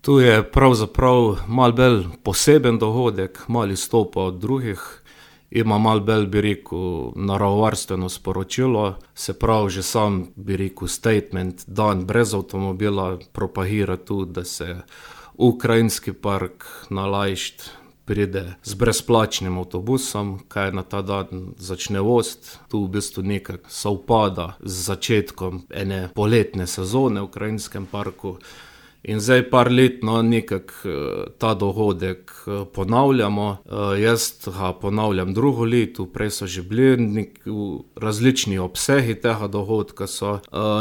Tu je pravzaprav malo bolj poseben dogodek, malo izstopa od drugih. Ima malo bolj, bi rekel, naravovarstveno sporočilo, se pravi že sam, bi rekel, statement, dan brez avtomobila, propagira tu, da se ukrajinski park na Lajšt pride z brezplačnim avtobusom, kaj na ta dan začne voziti. Tu v bistvu nekako sovpada z začetkom ene poletne sezone v ukrajinskem parku. In zdaj par let nekako ta dogodek ponavljamo. Jaz ga ponavljam drugo leto, prej so že bili različni obsegi tega dogodka,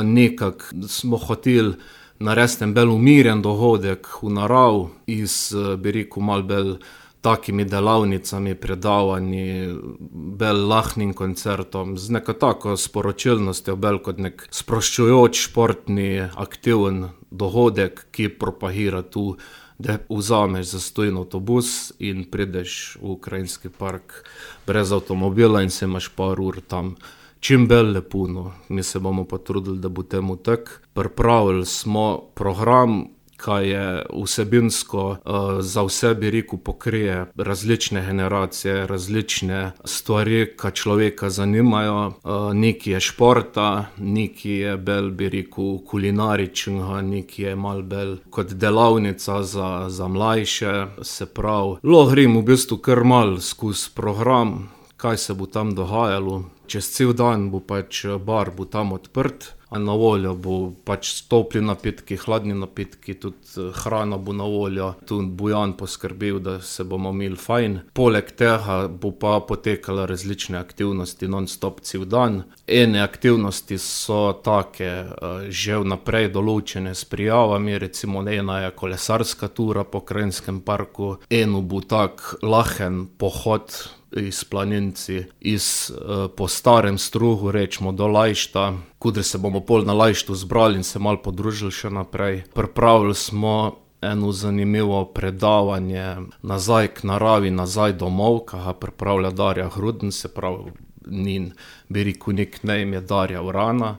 nekako smo hoteli narediti en bolj umirjen dogodek v narav iz, bi rekel, malo bolj takimi delavnicami, predavanji, bolj lahnim koncertom, z neko tako sporočilnostjo, bolj kot nek sproščujoč, športni, aktiven dogodek, ki propagira tu, da vzameš zastonj avtobus in prideš v ukrajinski park brez avtomobila in se imaš par ur tam čim bolj lepo. Mi se bomo pa trudili, da bo temu tako. Pripravili smo program, kaj je vsebinsko za vse, bi rekel, pokrije različne generacije, različne stvari, ki človeka zanimajo. Nekaj je športa, nekaj je bolj, bi rekel, kulinaričnega, nekaj je malo bolj kot delavnica za mlajše. Se pravi, lahko grem v bistvu kar malo skozi program, kaj se bo tam dogajalo. Čez cel dan bo pač bar bo tam odprt. Na voljo bo pač topli napitki, hladni napitki, tudi hrana bo na voljo. Tu bo Jan poskrbel, da se bomo imeli fajn. Poleg tega bo pa potekale različne aktivnosti non-stop cel dan. Ene aktivnosti so take že vnaprej določene s prijavami, recimo ena je kolesarska tura po Krajinskem parku, eno bo tak lahen pohod iz planinci, po starem strugu, rečemo, do Lajšta, kudr se bomo pol na Lajštu zbrali in se malo podružili še naprej. Pripravili smo eno zanimivo predavanje nazaj k naravi, nazaj domov, ki ga pripravlja Darja Gruden, se pravi, njen, bi rekel, nickname je Darja Vrana.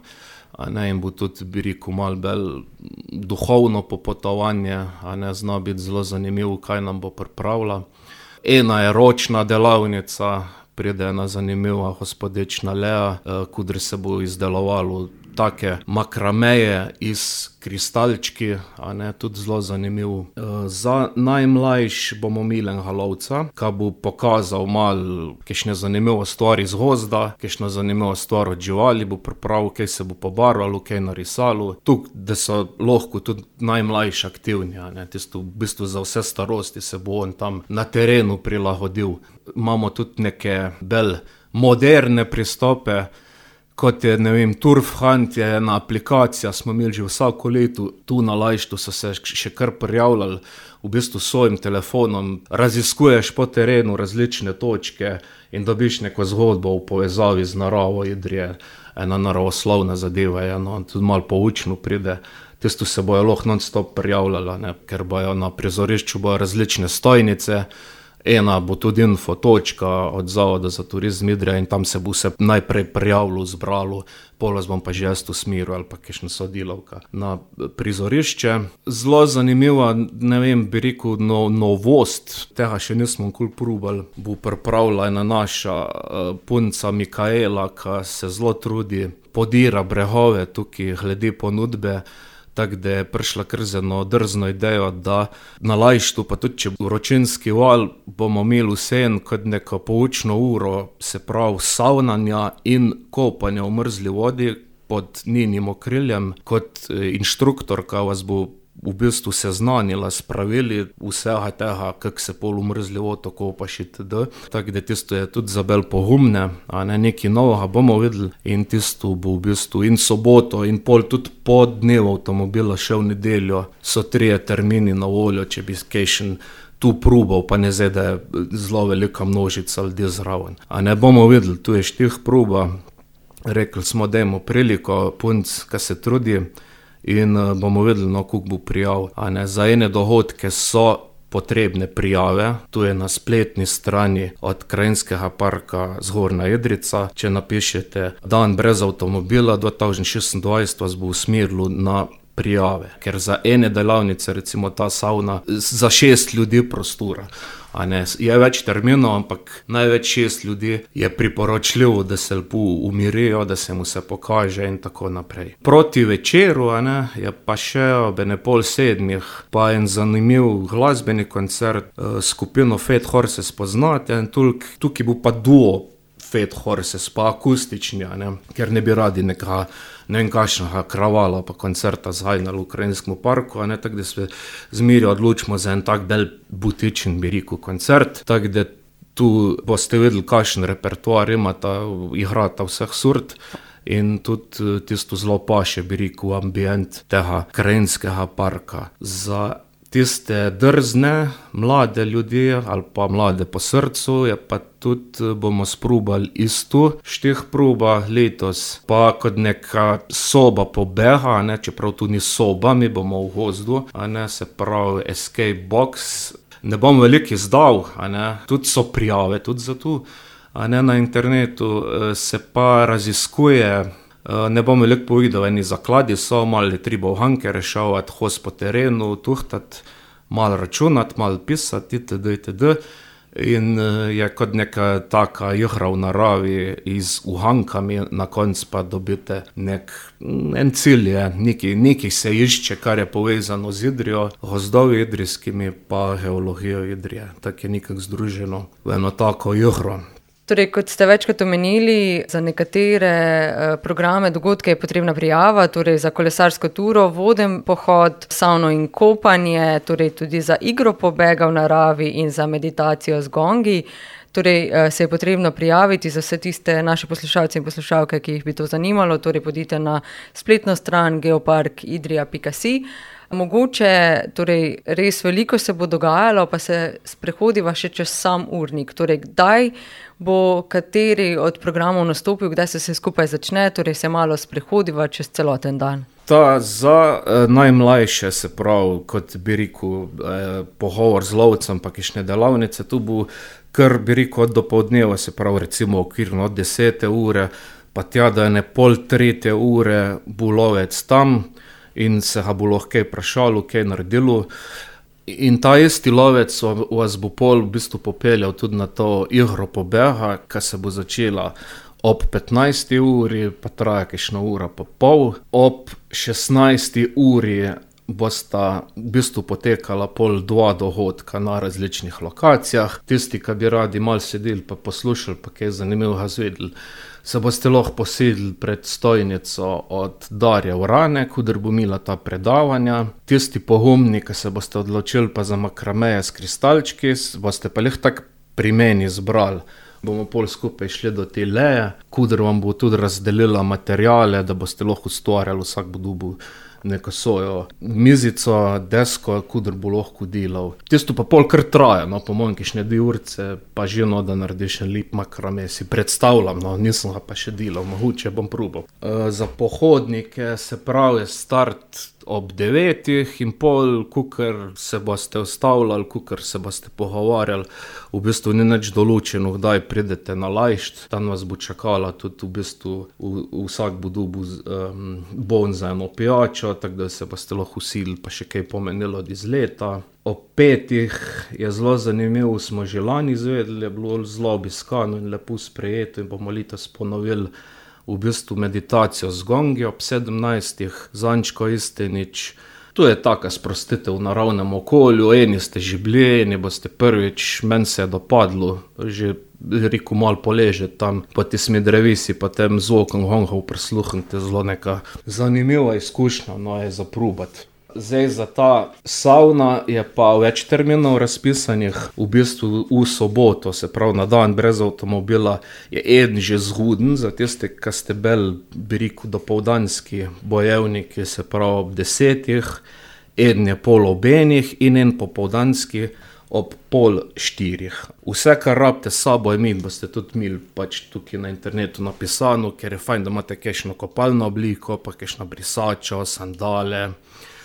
In bo tudi, bi rekel, malo bolj duhovno popotovanje, zna biti zelo zanimivo, kaj nam bo pripravila. Ena je ročna delavnica, pride ena zanimiva gospodična Lea, kudr se bo izdelovalo take makrameje iz kristalčki, tudi zelo zanimivo. Za najmlajši bomo imeli enega lovca, ki bo pokazal malo kakšne zanimive stvari iz gozda, kakšno zanimivo stvar od živali bo pripravil, kaj se bo pobarvalo, kaj narisalo. Tukaj, da so lahko tudi najmlajši aktivni, tisto v bistvu za vse starosti se bo on tam na terenu prilagodil. Imamo tudi neke bolj moderne pristope, kot je, ne vem, Turf Hunt je ena aplikacija, smo imeli že vsako leto, tu na Lajštu so se še kar prijavljali, v bistvu s svojim telefonom raziskuješ po terenu različne točke in dobiš neko zgodbo v povezavi z naravo. Idrije, ena naravoslovna zadeva je, tudi malo poučno pride. Tisto se bojo lahko non-stop prijavljala, ker bojo na prizorišču bojo različne stojnice. Ena bo tudi infotočka od Zavoda za turizem Idrija in tam se bo se najprej prijavilo, zbralo, pol vas bom pa že jaz usmeril ali pa kakšna sodelavka na prizorišče. Zelo zanimiva, ne vem, bi rekel, novost, tega še nismo nikoli probali, bo pripravila ena naša punca Mikaela, ki se zelo trudi, podira brehove tukaj glede ponudbe. Tako da je prišla kar z eno drzno idejo, da na Lajštu, pa tudi če bo vročinski val, bomo imeli vseeno kot neko poučno uro, se pravi savnanja in kopanja v mrzli vodi pod njenim okriljem, kot inštruktorka vas bo v bistvu seznanila s pravili vsega tega, kako se pol v mrzli vodo kopaš itd. Tako da tisto je tudi za bolj pogumne, nekaj novega bomo videli in tisto bo v bistvu in soboto in pol tudi po dnevu avtomobila še v nedeljo so 3 termini na voljo, če bi kakšen tu probal, pa ne zdaj, da je zelo velika množica ljudi zraven. Bomo videli, tu je štih proba, rekli smo, dajmo priliko punc, ki se trudi, in bomo videli, koliko bo prijav. Za ene dogodke so potrebne prijave, tu je na spletni strani od Krajinskega parka Zgornja Idrijca. Če napišete dan brez avtomobila 2026, vas bo usmerilo na prijave, ker za ene delavnice, recimo ta savna, za 6 ljudi prostora. A ne, je več terminov, ampak največ 6 ljudi je priporočljivo, da se lepo umirijo, da se mu se pokaže in tako naprej. Proti večeru, a ne, je pa še ob 6:30 pa en zanimiv glasbeni koncert, skupino Fat Horses poznate, in tukaj bo pa duo Fat Horses, pa akustični, a ne, ker ne bi radi nekega, ne vem kakšnega kravala pa koncerta zhajnali v Ukrajinskem parku, a ne, tako da se zmeraj odločimo za en tak bolj butičen, bi rekel, koncert, tako da tu boste videli, kakšen repertoar imata, igrata vseh sort in tudi tisto zelo paše, bi rekel, ambient tega Krajinskega parka. Za tiste drzne, mlade ljudi ali pa mlade po srcu, je pa tudi bomo sprobali isto štih proba letos, pa kot neka soba pobega, ne, čeprav tu ni soba, mi bomo v gozdu, a ne, se pravi escape box. Ne bom veliko izdal, a ne, tudi so prijave tudi za to, a ne, na internetu se pa raziskuje. Ne bom veliko povedal, eni zakladi so, malo je treba uganke rešavati, hoz po terenu, tuhtati, malo računati, malo pisati, itd. In je kot neka taka igra v naravi z ugankami, na koncu pa dobite en cilj je, nekaj se išče, kar je povezano z Idrijo, gozdovi idrijskimi pa geologijo Idrije. Tako je nekako združeno v eno tako igro. Torej, kot ste večkrat omenili, za nekatere programe, dogodke je potrebna prijava, torej za kolesarsko turo, voden pohod, savno in kopanje, torej tudi za igro pobega v naravi in za meditacijo z gongi. Torej, se je potrebno prijaviti za vse tiste naše poslušalce in poslušalke, ki jih bi to zanimalo, torej podite na spletno stran geoparkidrija.si. Mogoče, torej, res veliko se bo dogajalo, pa se sprehodiva še čez sam urnik. Torej, kdaj bo kateri od programov nastopil, kdaj se vse skupaj začne, torej se malo sprehodiva čez celoten dan. Ta za najmlajše, se pravi, kot bi rekel, pogovor z lovcem, pa kakšne delavnice, tu bo kar, bi rekel, od dopoldneva, se pravi, recimo okvirno od 10. ure, pa tja do 2:30 bo lovec tam, in se ga bo lahko kaj vprašalo, kaj naredilo. In ta isti lovec vas bo pol v bistvu popeljal tudi na to igro pobega, ki se bo začela ob 15. uri, pa traja kakšna ura pa pol. Ob 16. uri bosta v bistvu potekala pol 2 dogodka na različnih lokacijah. Tisti, ki bi radi malo sedeli pa poslušali, pa kaj zanimivega zvedeli, se boste lahko posedili pred stojnico od Darja Urane, kudar bo imela ta predavanja. Tisti pogumni, ki se boste odločili pa za makrameje s kristalčki, boste pa lih tak pri meni zbrali. Bomo pol skupaj šli do te leje, kudar vam bo tudi razdelila materijale, da boste lahko ustvarjali, vsak bo dobil neko svojo mizico, desko, kudar bo lahko delal. Tisto pa pol kar traja, no, po mojem kakšne 2 urce, pa že no, da narediš en lep makrame, si predstavljam, no, nisem ga pa še delal, mogoče bom probal. Za pohodnike, se pravi, je start ob 9:30, kukar se boste ustavljali, kukar se boste pogovarjali, v bistvu ni nič določeno, kdaj pridete na lajšt, tam vas bo čakala tudi v bistvu, vsak bo dobil bon za eno pijačo, tako da se boste lahko usilili, pa še kaj pomenilo od izleta. Ob 5 je zelo zanimivo, smo že lani izvedeli, je bilo zelo obiskano in lepo sprejeto in bomo letos ponovili v bistvu meditacijo z gongi ob 17. z Ančko Istenič. To je taka sprostitev v naravnem okolju, eni ste že bili, eni boste prvič, meni se je dopadlo, že rekel malo poležeti tam, pa ti smedrevisi, pa tem zvokom gongov prisluhnite, zelo neka zanimiva izkušnja, no, je za probati. Zdaj za ta savna je pa več terminov razpisanih, v bistvu v soboto, se pravi na dan brez avtomobila, je eden že zguden, za tiste, ki ste bolj, bi rekel, dopoldanski bojevniki, se pravi ob 10, eden je pol ob 1 in en popoldanski ob 3:30. Vse, kar rabite s sabo imeti, boste tudi imeli pač tukaj na internetu napisano, ker je fajn, da imate kakšno kopalno obliko, pa kakšno brisačo, sandale,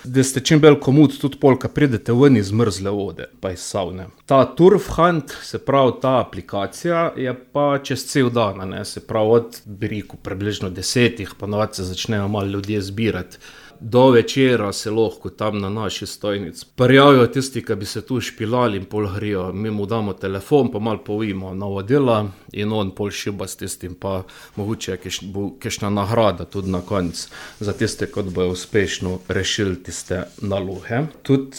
da ste čim bolj komod tudi pol, ko pridete ven iz mrzle vode, pa iz savne. Ta Turf Hunt, se pravi ta aplikacija, je pa čez cel dan, ne, se pravi od, bi rekel, približno 10, pa navad se začnejo malo ljudje zbirati. do večera se lahko tam na naši stojnici prijavijo tisti, ki bi se tu špilali in pol grijo. Mi mu damo telefon, pa malo povimo navodila in on pol šiba s tistim, pa mogoče bo kakšna nagrada tudi na koncu za tiste, kot bojo uspešno rešili tiste naloge. Tudi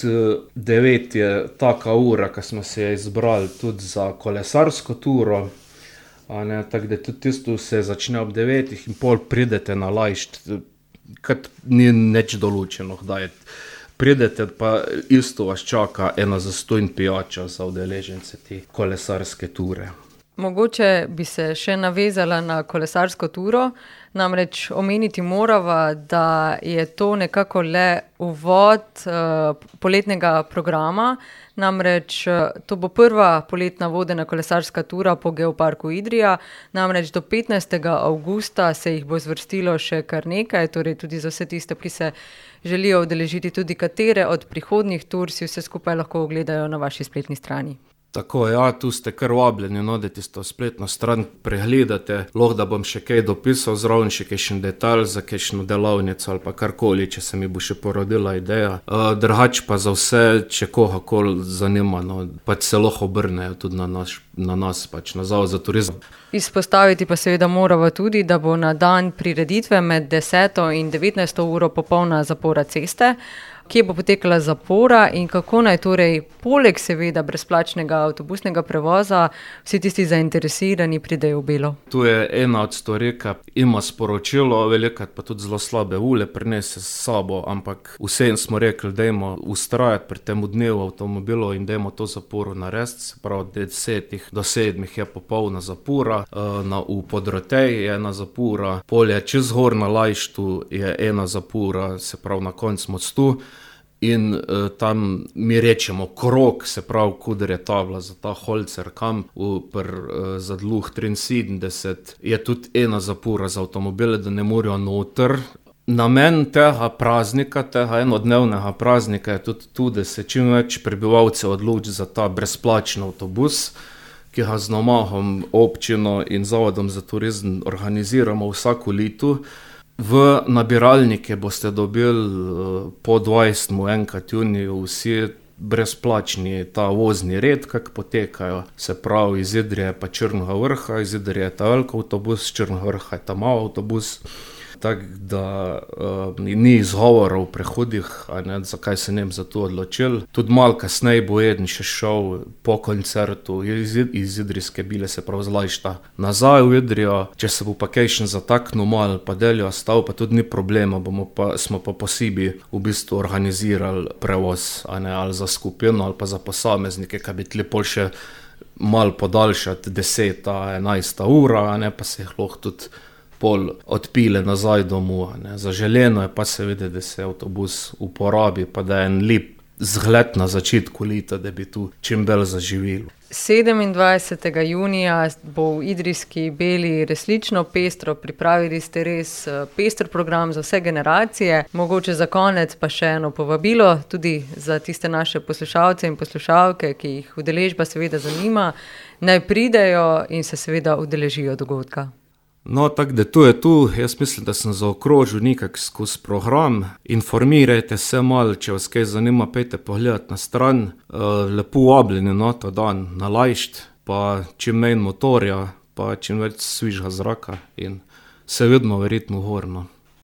9 je taka ura, ki smo se izbrali tudi za kolesarsko turo. Tako da tudi tisto se začne ob 9 in pol pridete na lajšt, kad ni nič določeno, kdaj pridete, pa isto vas čaka ena zastonj pijača za udeležence te kolesarske ture. Mogoče bi se še navezala na kolesarsko turo, namreč omeniti morava, da je to nekako le uvod poletnega programa, namreč to bo prva poletna vodena kolesarska tura po Geoparku Idrija, namreč do 15. avgusta se jih bo zvrstilo še kar nekaj, torej tudi za vse tiste, ki se želijo udeležiti tudi katere od prihodnjih tur, si vse skupaj lahko ogledajo na vaši spletni strani. Tako, ja, tu ste kar vabljeni, no, da tisto spletno stran pregledate. Lahko da bom še kaj dopisal zraven, še kakšen detalj za kakšno delavnico ali pa karkoli, če se mi bo še porodila ideja. Drugače pa za vse, če kohakoli zanima, no, pač se lahko obrnejo tudi na nas, pač na Zavod za turizem. Izpostaviti pa seveda moramo tudi, da bo na dan prireditve med 10. in 19. uro popolna zapora ceste. Kje bo potekala zapora in kako naj torej poleg seveda brezplačnega avtobusnega prevoza vsi tisti zainteresirani pridejo v Belo? Tu je ena od stvari, ki ima sporočilo, velikokrat pa tudi zelo slabe ule prinese s sabo, ampak vsem smo rekli, dajmo ustrajati pri tem dnevu avtomobilov in dajmo to zaporo narediti, se pravi, od 10 do 7 je popolna zapora, v Podroteji je ena zapora, polje čez gor na Lajštu je ena zapora, se pravi na koncu mostu. In tam mi rečemo krog, se pravi, kuder je tabla za ta Holzer kamp, za Dluh 73, je tudi ena zapora za avtomobile, da ne morejo noter. Namen tega praznika, tega enodnevnega praznika je tudi da se čim več prebivalcev odloči za ta brezplačen avtobus, ki ga z namahom občino in Zavodom za turizem organiziramo vsako leto. V nabiralnike boste dobili po 20. enkrat juniju vsi brezplačni ta vozni red, kak potekajo, se pravi iz Idrije pa Črnega Vrha, iz Idrije je ta velik avtobus, Črnega Vrha je ta mal avtobus. Tako da ni izgovora v prehodih, zakaj se nem za to odločili. Tudi malo kasneje bo eden še šel po koncertu iz Idrijske Bile, se pravi z Lajšta nazaj v Idrijo. Če se bo pa kakšen zataknil malo, pa deljo stal, pa tudi ni problema, smo pa posebej v bistvu organizirali prevoz, ali za skupino ali pa za posameznike, ki bi tli pol še malo podaljšati 10. 11. ura, pa se jih lahko tudi pol odpile nazaj domov. Zaželeno je pa seveda, da se avtobus uporabi, pa da je en lep zgled na začetku leta, da bi tu čim bolj zaživelo. 27. junija bo v Idrijski Beli resnično pestro, pripravili ste res pester program za vse generacije. Mogoče za konec pa še eno povabilo, tudi za tiste naše poslušalce in poslušalke, ki jih udeležba seveda zanima, naj pridejo in se seveda udeležijo dogodka. No, tako da to je tu. Jaz mislim, da sem zaokrožil nekak skozi program. Informirajte se malo, če vas kaj zanima, pejte pogledati na stran. Lepo vabljeni na ta dan na Lajšt, pa čim manj motorja, pa čim več svižga zraka in se vidimo verjetno gorno.